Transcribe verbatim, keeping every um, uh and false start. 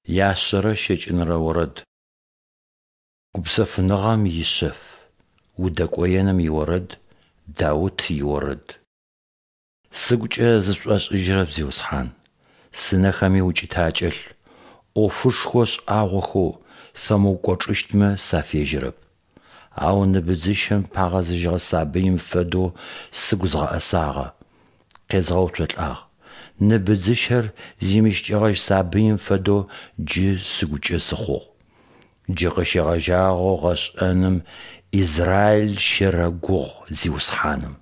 Яшъэрэ щэкӏынэрэ орэд. Гупсэфыныгъэм ишъэф. Удэкӏоеным иорэд. Даут иорэд. Сыгукӏэ зысшӏошӏыжьырэп, Зиусхьан, сынэхэми укӏытэ акӏэлъ, ӏофышхо шӏагъохэу сфэмыукӏочӏыщтмэ сафежьэрэп. Ау ны быдзыщэм пагъэзыжьыгъэ сабыим фэдэу сыгу згъэӏэсагъэ, къезгъэуцолӏагъ, ны быдзыщэр зимыщыкӏэгъэжь сабыим фэдэу джы сыгукӏэ сыхъугъ. Джы къыщегъэжьагъэу гъэшӏэным Израил щэрэгугъ Зиусхьаным.